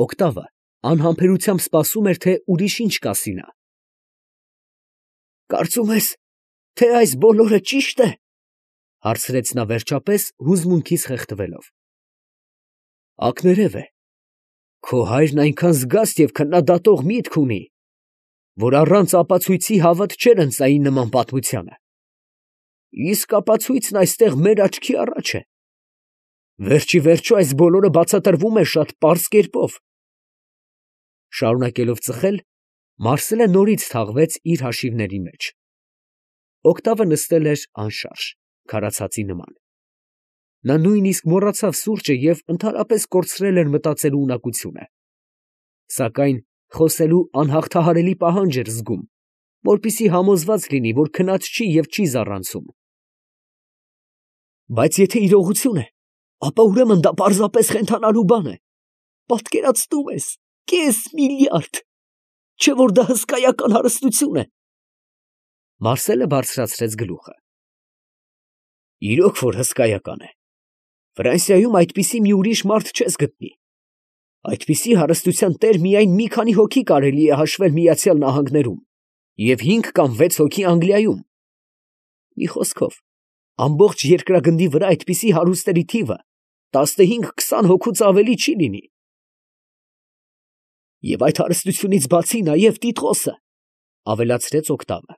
Օկտավը անհամբերությամբ սպասում էր, թե ուրիշ ինչ կասի նա։ Կարծում ես, թե այս բոլորը ճիշտ է, ֊ հարցրեց նա վերջապես հուզմունքից խեղդվելով։ Ակներև է, քո հայրն այնքան զգաստ և քննադատող միտք ունի, որ առանց ապացույցի հավատ չէր ընծայի նման պատմությանը։ Իսկ ապացույցն այստեղ մեր աչքի առաջ է։ Վերջիվերջո այս բոլորը բացատրվում է շատ պարզ կերպով։ Շարունակելով ծխել, Մարսելը նորից թաղվեց իր հաշիվների մեջ։ Օկտավը նստել էր անշարժ, քարացածի նման։ Նա նույնիսկ մոռացավ սուրճը և ընդհանրապես կորցրել էր մտածելու ունակությունը։ Սակայն խոսելու անհաղթահարելի պահանջ էր զգում, որպեսզի համոզված լինի, որ քնած չի և չի զառանցում։ Բայց եթե իրողություն է, ապա ուրեմն դա պարզապես խենթանալու բան է։ Պատկերացնում ես, կես միլիարդ, չէ՞ որ դա հսկայական հարստություն է։ Մարսելը բարձրացրեց գլուխը։ Իրոք որ հսկայական է։ Ֆրանսիայում այդպիսի մի ուրիշ մարդ չես գտնի։ Այդպիսի հարստության տեր միայն մի քանի հոգի կարելի է հաշվել Միացյալ Նահանգներում և 5 կամ 6 հոգի Անգլիայում։ Մի խոսքով, ամբողջ երկրագնդի վրա այդպիսի հարուստների թիվը 15-20 հոգուց ավելի չի լինի։ Եվ այդ հարստությունից բացի նաև Տիտղոսը, ավելացրեց Օկտավը,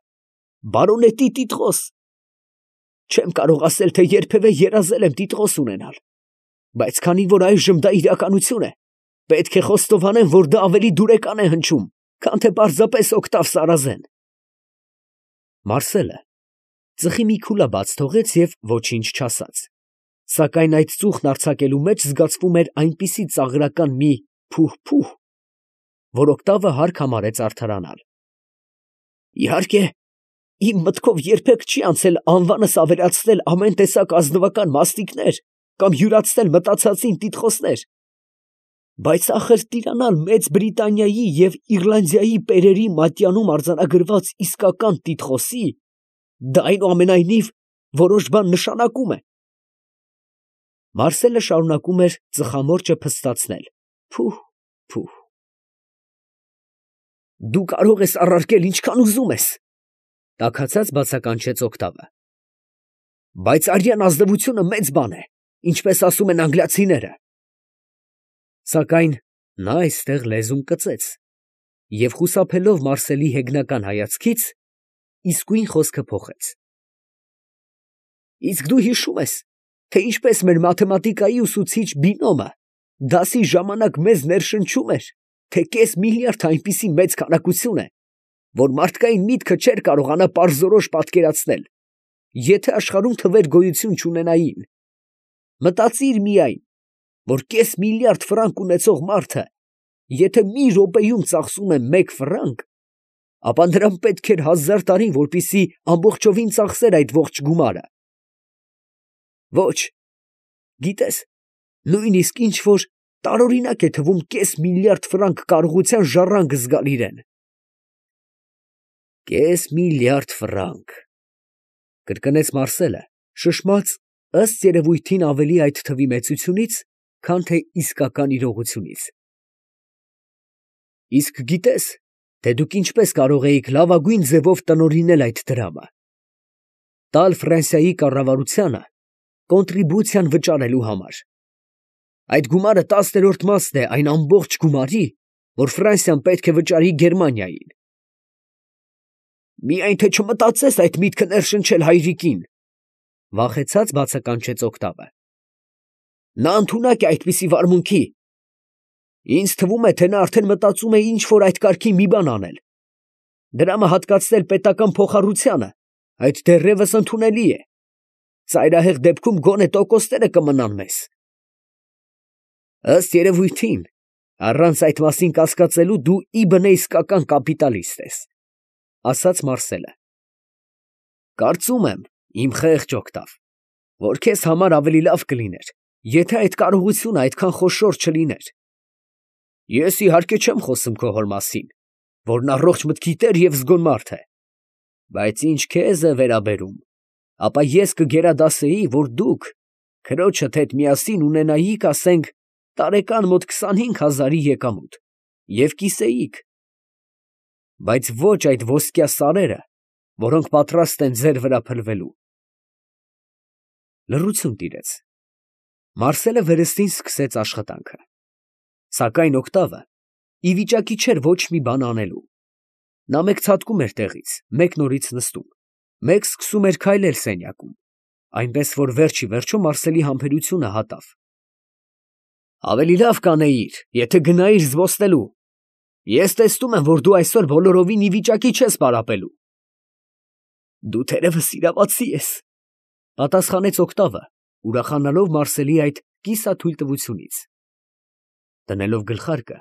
բարոնետի Տիտղոս։ Չեմ կարող ասել, թե երբևէ երազել եմ Տիտղոս ունենալ, բայց քանի որ այժմ դա իրականություն է, պետք է խոստովանեմ, որ դա ավելի դուրեկան է հնչում, քան թե պարզապես Օկտավ Սարազեն։ Մարսելը ծխի մի քուլա բաց թողեց և ոչինչ չասաց, սակայն այդ ծուխն արձակելու մեջ զգացվում էր այնպիսի ծաղրական մի փուհ-փուհ, որ Օկտավը հարկ համարեց արդարանալ։ Իհարկե, իմ մտքով երբեք չի անցել անվանս ավելացնել ամեն տեսակ ազնվական մասնիկներ կամ յուրացնել մտածածին տիտղոսներ, բայց ախր տիրանալ Մեծ Բրիտանիայի և Իռլանդիայի պերերի մատյանում արձանագրված իսկական տիտղոսի, դա այնուամենայնիվ որոշ բան նշանակում է։ Մարսելը շարունակում էր ծխամորճը փստացնել. փուհ։ Դու կարող ես առարկել ինչքան ուզում ես, ֊ տաքացած բացականչեց Օկտավը, բայց արյան ազնվությունը մեծ բան է, ինչպես ասում են անգլիացիները։ Սակայն նա այստեղ լեզուն կծեց և խուսափելով Մարսելի հեգնական հայացքից, իսկույն խոսքը փոխեց։ Իսկ դու հիշո՞ւմ ես, թե ինչպես մեր մաթեմատիկայի ուսուցիչ Բինոմը դասի ժամանակ մեզ ներշնչում էր, թե կես միլիարդ այնպիսի մեծ քանակություն է, որ մարդկային միտքը չէր կարողանա պարզորոշ պատկերացնել, եթե աշխարհում թվեր գոյություն չունենային։ Մտածիր միայն, որ կես միլիարդ ֆրանկ ունեցող մարդը, եթե մի րոպեում ծախսում է 1 ֆրանկ, ապա նրան պետք էր 1000 տարի, որպեսզի ամբողջովին ծախսեր այդ ողջ գումարը։ Ոչ, գիտես, նույնիսկ ինչ որ տարօրինակ է թվում կես միլիարդ ֆրանկ կարողության ժառանգ զգալ իրեն։ Կես միլիարդ ֆրանկ, ֊ կրկնեց Մարսելը, շշմած ըստ երևույթին ավելի այդ թվի մեծությունից, քան թե իսկական իրողությունից։ Իսկ գիտես, թե դուք ինչպես կարող էիք լավագույն ձևով տնօրինել այդ դրամը, տալ Ֆրանսիայի կառավարությանը կոնտրիբուցիան վճարելու համար։ Այդ գումարը 10-րդ մասն է այն ամբողջ գումարի, որ Ֆրանսիան պետք է վճարի Գերմանիային։ Միայն թե չմտածես այդ միտքը ներշնչել հայրիկին, ֊ վախեցած բացականչեց Օկտավը։ Նա ընդունակ է այդպիսի վարմունքի։ Ինձ թվում է, թե նա արդեն մտածում է ինչ որ այդ կարգի մի բան անել։ Դրամը հատկացնել պետական փոխառությանը, այդ դեռևս ընդունելի է։ Ծայրահեղ դեպքում գոնե տոկոսները կմնան մեզ։ Ըստ երևույթին, առանց այդ մասին կասկածելու դու իբնե իսկական կապիտալիստ ես, ֊ ասաց Մարսելը։ Կարծում եմ, իմ խեղճ Օկտավ, որ քեզ համար ավելի լավ կլիներ, եթե այդ կարողությունը այդքան խոշոր չլիներ։ Ես իհարկե չեմ խոսում քո հոր մասին, որն առողջ մտքի տեր և զգոն մարդ է, բայց ինչ քեզ է վերաբերում, ապա ես կգերադասեի, որ դուք քրոջդ հետ միասին ունենայիք, ասենք, տարեկան մոտ 25,000-ի եկամուտ և կիսեիք, բայց ոչ այդ ոսկյա սարերը, որոնք պատրաստ են ձեր վրա փլվելու։ Լռություն տիրեց։ Մարսելը վերստին սկսեց աշխատանքը, սակայն Օկտավը ի վիճակի չէր ոչ մի բան անելու։ Նա մեկ ցատկում էր տեղից, մեկ նորից նստում, մեկ սկսում էր քայլել սենյակում, այնպես որ վերջ ի վերջո Մարսելի համբերությունը հատավ։ Ավելի լավ կանեիր, եթե գնայիր զբոսնելու։ Ես տեսնում եմ, որ դու այսօր բոլորովին ի վիճակի չես պարապելու։ Դու թերևս իրավացի ես, պատասխանեց Օկտավը, ուրախանալով Մարսելի այդ կիսաթույլ տվությունից։ Դնելով գլխարկը,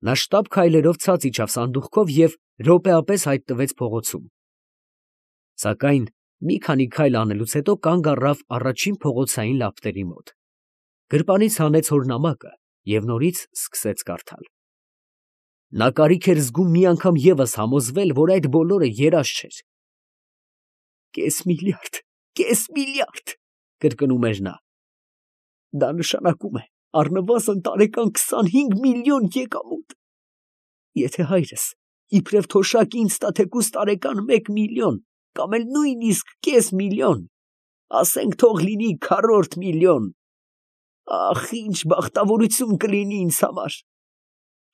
նա շտապ քայլերով ցած իջավ սանդուղքով և րոպեապես հայտնվեց փողոցում։ Սակայն մի քանի քայլ անելուց հետո կանգ առավ առաջին փողոցային լապտերի մոտ, գրպանից հանեց հորնամակը և նորից սկսեց կարդալ։ Նա կարիք էր զգում մի անգամ ևս համոզվել, որ այդ բոլորը երազ չէր։ Կես միլիարդ, կրկնում էր նա։ Դա նշանակում է առնվազն տարեկան 25 միլիոն եկամուտ։ Եթե հայրս իբրև թոշակ ինձ տա թեկուզ տարեկան 1 միլիոն, կամ էլ նույնիսկ կես միլիոն, ասենք թող լինի քառորդ միլիոն, ախ, ինչ բախտավորություն կլինի ինձ համար,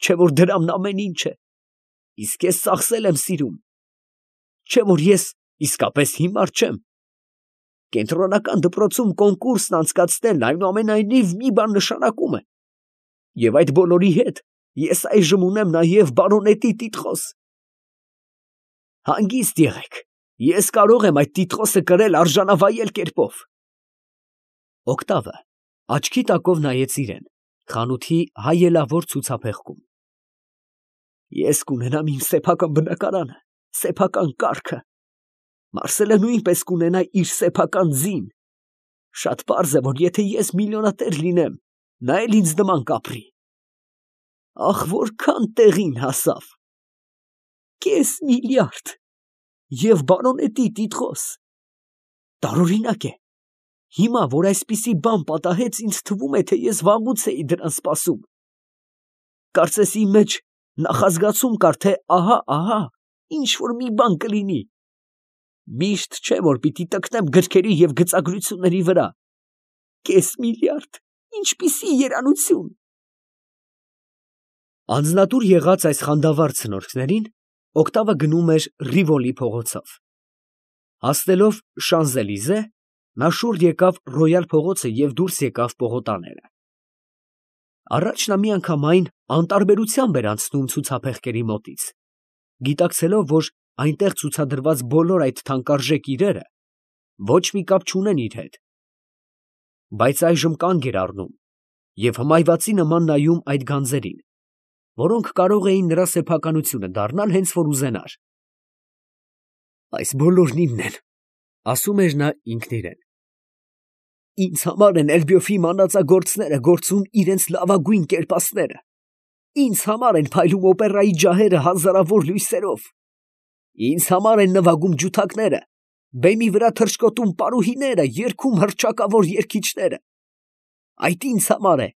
չէ որ դրամն ամեն ինչ է, իսկ ես ծախսել եմ սիրում, չէ որ ես իսկապես հիմար չեմ։ Կենտրոնական դպրոցում կոնկուրսն անցկացնելն այնուամենայնիվ մի բան նշանակում է, և այդ բոլորի հետ ես այժմ ունեմ նաև բարոնետի տիտղոս։ Հանգիստ եղեք, ես կարող եմ այդ տիտղոսը կրել արժանավայել կերպով։ Օկտավը աչքի տակով նայեց իրեն, խանութի հայելավոր ցուցափեղկում։ Ես կունենամ իմ սեփական բնակարանը, սեփական կառքը, Մարսելը նույնպես կունենա իր սեփական ձին։ Շատ պարզ է, որ եթե ես միլիոնատեր լինեմ, նա էլ ինձ նման կապրի։ Ախ, որքան տեղին հասավ։ Կես միլիարդ և բարոնետի տիտղոս։ Տարօրինակ է։ Հիմա, որ այսպիսի բան պատահեց, ինձ թվում է, թե ես վաղուց էի դրան սպասում։ Կարծես իմ մեջ նախազգացում կար, թե ահա, ինչ որ մի բան կլինի։ Միշտ չէ, որ պիտի տկնեմ գրքերի և գծագրությունների վրա։ Կես միլիարդ, ինչպիսի երանություն։ Անձնատուր եղած այս խանդավառ ցնորքներին Օկտավը գնում էր Ռիվոլի փողոցով։ Հասնելով Շանզելիզե, նա շուռ եկավ Ռոյալ փողոցը և դուրս եկավ պողոտաները։ Առաջ նա միանգամայն անտարբերությամբ էր անցնում ցուցափեղկերի մոտից, գիտակցելով, որ այնտեղ ցուցադրված բոլոր այդ թանկարժեք իրերը ոչ մի կապ չունեն իր հետ, բայց այժմ կանգ էր առնում և հմայվածի նման նայում այդ գանձերին, որոնք կարող էին նրա սեփականությունը դառնալ, հենց որ ուզենար։ Այս բոլորն իմն են, ասում էր նա ինքն իրեն։ Ինձ համար են Էլբյոֆի մանածագործները գործում իրենց լավագույն կերպասները, ինձ համար են փայլում օպերայի ջահերը հազարավոր լույսերով, ինձ համար են նվագում ջութակները, բեմի վրա թռչկոտում պարուհիները, երգում հռչակավոր երգիչները։ Այդ ինձ համար է,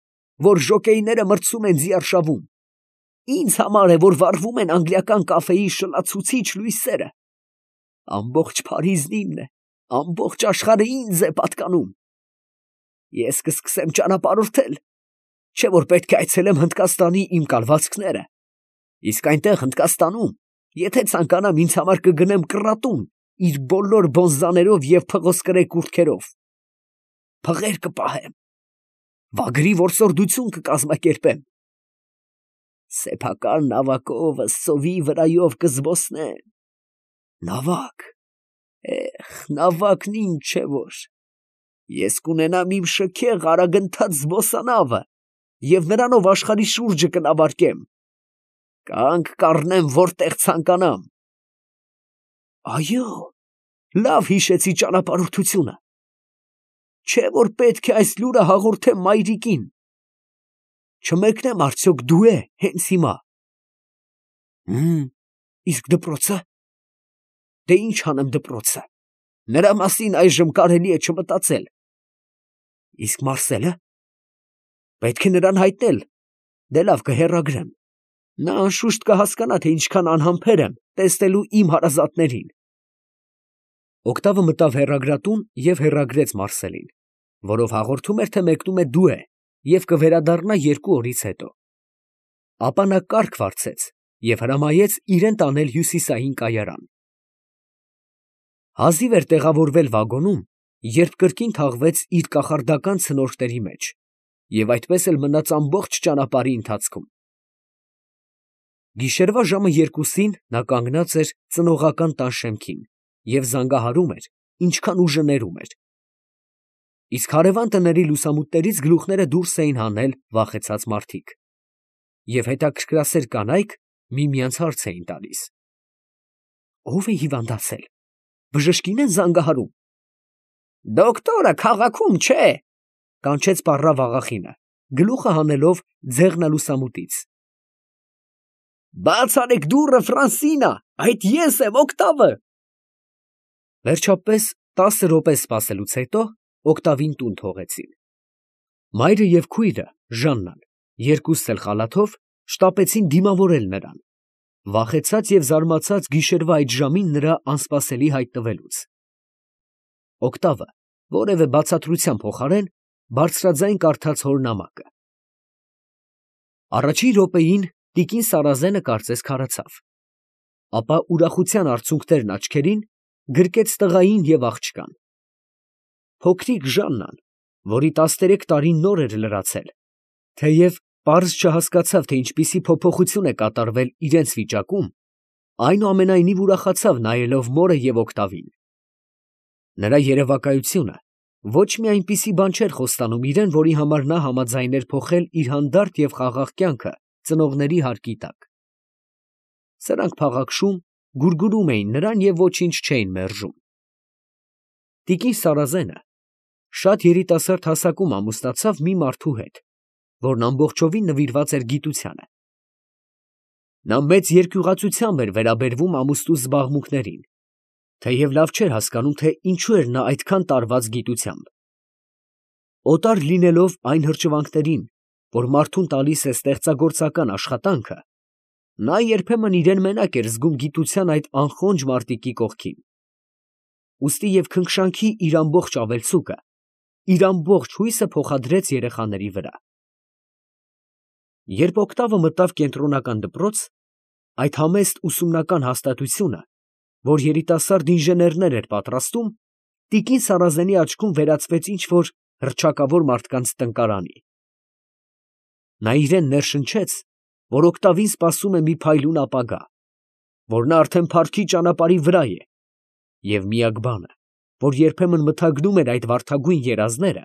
որ ժոկեյները մրցում են ձիարշավում, ինձ համար է, որ վառվում են անգլիական կաֆեի շլացուցիչ լույսերը։ Ամբողջ Փարիզն իմն է, ամբողջ աշխարհը ինձ է պատկանում։ Ես կսկսեմ ճանապարհորդել, չէ որ պետք է այցելեմ Հնդկաստանի իմ կալվածքները, իսկ այնտեղ Հնդկաստանում, եթե ցանկանամ, ինձ համար կգնեմ կռատուն իր բոլոր բոնզաներով և փղոսկրե կուրթքերով, փղեր կպահեմ, վագրի որսորդություն կկազմակերպեմ, սեփական նավակով սովի վրայով կզբոսնեմ, նավակ, նավակն ինչ է որ, ես կունենամ իմ շքեղ արագընթաց զբոսանավը և նրանով աշխարհի շուրջը կնավարկեմ, կանգ կառնեմ որտեղ ցանկանամ։ Այո, լավ հիշեցի ճանապարհորդությունը, չէ որ պետք է այս լուրը հաղորդեմ մայրիկին, չմեկնեմ արդյոք դու է հենց հիմա։ Իսկ դպրոցը։ Դե ինչ անեմ դպրոցը, նրա մասին այժմ կարելի է չմտածել։ Իսկ Մարսելը։ Պետք է նրան հայտնել։ Դե լավ, կհեռագրեմ։ Նա անշուշտ կհասկանա, թե ինչքան անհամբեր եմ տեսնելու իմ հարազատներին։ Օկտավը մտավ հեռագրատուն և հեռագրեց Մարսելին, որով հաղորդում էր, թե մեկնում է դուե և կվերադառնա 2 օրից հետո։ Ապա նա կառք վարձեց և հրամայեց իրեն տանել հյուսիսային կայարան։ Հազիվ էր տեղավորվել վագոնում, երբ կրկին թաղվեց իր կախարդական ցնորքների մեջ և այդպես էլ մնաց ամբողջ ճանապարհի ընթացքում։ Գիշերվա ժամը 2-ին նա կանգնած էր ծնողական տան շեմքին և զանգահարում էր, ինչքան ուժը ներում էր։ Իսկ հարևան տների լուսամուտներից գլուխները դուրս էին հանել վախեցած մարդիկ, և հետաքրքրասեր կանայք միմյանց հարց էին տալիս. «Ո՞վ է հիվանդացել, բժշկի՞ն են զանգահարում»։ «Դոկտորը քաղաքում չէ», կանչեց պառավ աղախինը, գլուխը հանելով ձեղնալուսամուտից։ «Բաց արեք դուռը, Ֆրանսինա, այդ ես եմ, Օկտավը»։ Վերջապես 10 րոպե սպասելուց հետո Օկտավին տուն թողեցին։ Մայրը և քույրը Ժաննան, երկուսս էլ խալաթով, շտապեցին դիմավորել նրան, վախեցած և զարմացած գիշերվա այդ ժամին նրա անսպասելի հայտնվելուց։ Օկտավը որևէ բացատրության փոխարեն բարձրաձայն կարդաց հոր նամակը։ Առաջին րոպեին տիկին Սարազենը կարծես քարացավ, ապա ուրախության արցունքներն աչքերին գրկեց տղային և աղջկան։ Փոքրիկ Ժաննան, որի 13 տարին նոր էր լրացել, թեև պարզ չհասկացավ, թե ինչպիսի փոփոխություն է կատարվել իրենց վիճակում, այնուամենայնիվ ուրախացավ նայելով մորը և Օկտավին։ Նրա երևակայությունը ոչ մի այնպիսի բան չէր խոստանում իրեն, որի համար նա համաձայն էր փոխել իր հանդարտ և խաղաղ կյանքը ծնողների հարկի տակ։ Սրանք փաղաքշում, գուրգուրում էին նրան և ոչինչ չէին մերժում։ Տիկին Սարազենը շատ երիտասարդ հասակում ամուսնացավ մի մարդու հետ, որն ամբողջովին նվիրված էր գիտությանը։ Նա մեծ երկյուղածությամբ էր վերաբերվում ամուսնու զբաղմունքներին, թեև լավ չէր հասկանում, թե ինչու էր նա այդքան տարված գիտությամբ։ Օտար լինելով այն հրճվանքներին, որ մարդուն տալիս է ստեղծագործական աշխատանքը, նա երբեմն իրեն մենակ էր զգում գիտության այդ անխոնջ մարտիկի կողքին։ Ուստի և քնքշանքի իր ամբողջ ավելցուկը, իր ամբողջ հույսը փոխադրեց երեխաների վրա։ Երբ Օկտավը մտավ կենտրոնական դպրոց, այդ համեստ ուսումնական հաստատությունը, որ երիտասարդ ինժեներներ էր պատրաստում, տիկին Սարազենի աչքում վերածվեց ինչ֊որ հռչակավոր մարդկանց տնկարանի։ Նա իրեն ներշնչեց, որ Օկտավին սպասում է մի փայլուն ապագա, որ նա արդեն փառքի ճանապարհի վրա է, և միակ բանը, որ երբեմն մթագնում էր այդ վարդագույն երազները,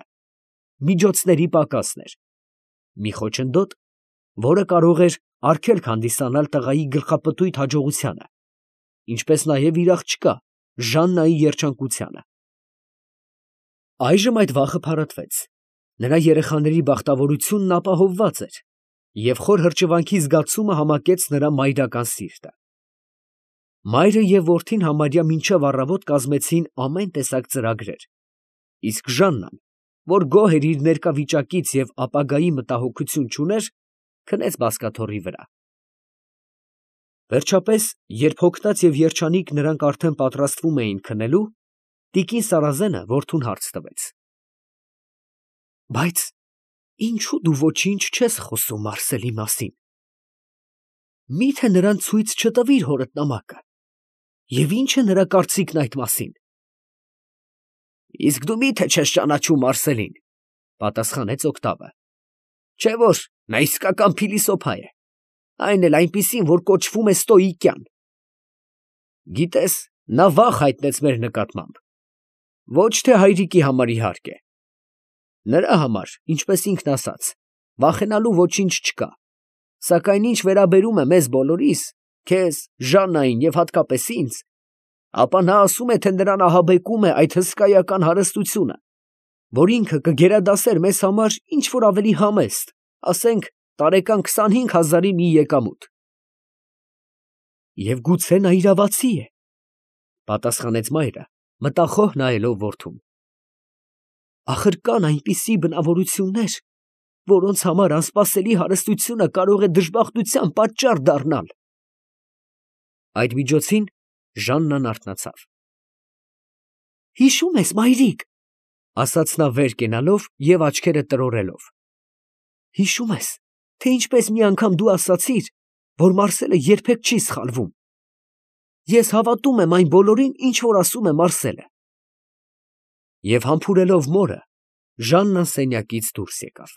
միջոցների պակասն էր, մի խոչընդոտ, որը կարող էր արգելք հանդիսանալ տղայի գլխապտույտ հաջողությանը, ինչպես նաև իր աղջկա Ժաննայի երջանկությանը։ Այժմ այդ վախը փարատվեց, նրա երեխաների բախտավորությունն ապահովված էր, և խոր հրճվանքի զգացումը համակեց նրա մայրական սիրտը։ Մայրը և որդին համարյա մինչև առավոտ կազմեցին ամեն տեսակ ծրագրեր, իսկ Ժաննան, որ գոհ էր իր ներկա վիճակից և ապագայի մտահոգություն չուներ, քնեց բազկաթոռի վրա։ Վերջապես, երբ հոգնած և երջանիկ նրանք արդեն պատրաստվում էին քնելու, տիկին Սարազենը որդուն հարց տվեց. «Բայց ինչո՞ւ դու ոչինչ չես խոսում Մարսելի մասին. մի՞թե նրան ցույց չտվիր հորդ նամակը, և ի՞նչ է նրա կարծիքն այդ մասին»։ «Իսկ դու մի՞թե չես ճանաչում Մարսելին», պատասխանեց Օկտավը, «չէ՞ որ նա իսկական փիլիսոփա է, այն էլ այնպիսին, որ կոչվում է ստոիկյան։ Գիտես, նա վախ հայտնեց մեր նկատմամբ, ոչ թե հայրիկի համար, իհարկե. նրա համար, ինչպես ինքն ասաց, վախենալու ոչինչ չկա, սակայն ինչ վերաբերում է մեզ բոլորիս, քեզ, Ժաննային և հատկապես ինձ, ապա նա ասում է, թե նրան ահաբեկում է այդ հսկայական հարստությունը, որ ինքը կգերադասեր մեզ համար ինչ֊որ ավելի համեստ, ասենք տարեկան 25,000-ի մի եկամուտ»։ «Եվ գուցե նա իրավացի է», պատասխանեց մայրը, մտախոհ նայելով որդուն։ «Ախր կան այնպիսի բնավորություններ, որոնց համար անսպասելի հարստությունը կարող է դժբախտության պատճառ դառնալ։ Այդ միջոցին Ժաննան արթնացավ։ «Հիշո՞ւմ ես, մայրիկ», ֊ ասաց նա վեր կենալով և աչքերը տրորելով. «հիշո՞ւմ ես, թե ինչպես մի անգամ դու ասացիր, որ Մարսելը երբեք չի սխալվում։ Ես հավատում եմ այն բոլորին, ինչ որ ասում է Մարսելը»։ Եվ համբուրելով մորը, Ժաննան սենյակից դուրս եկավ։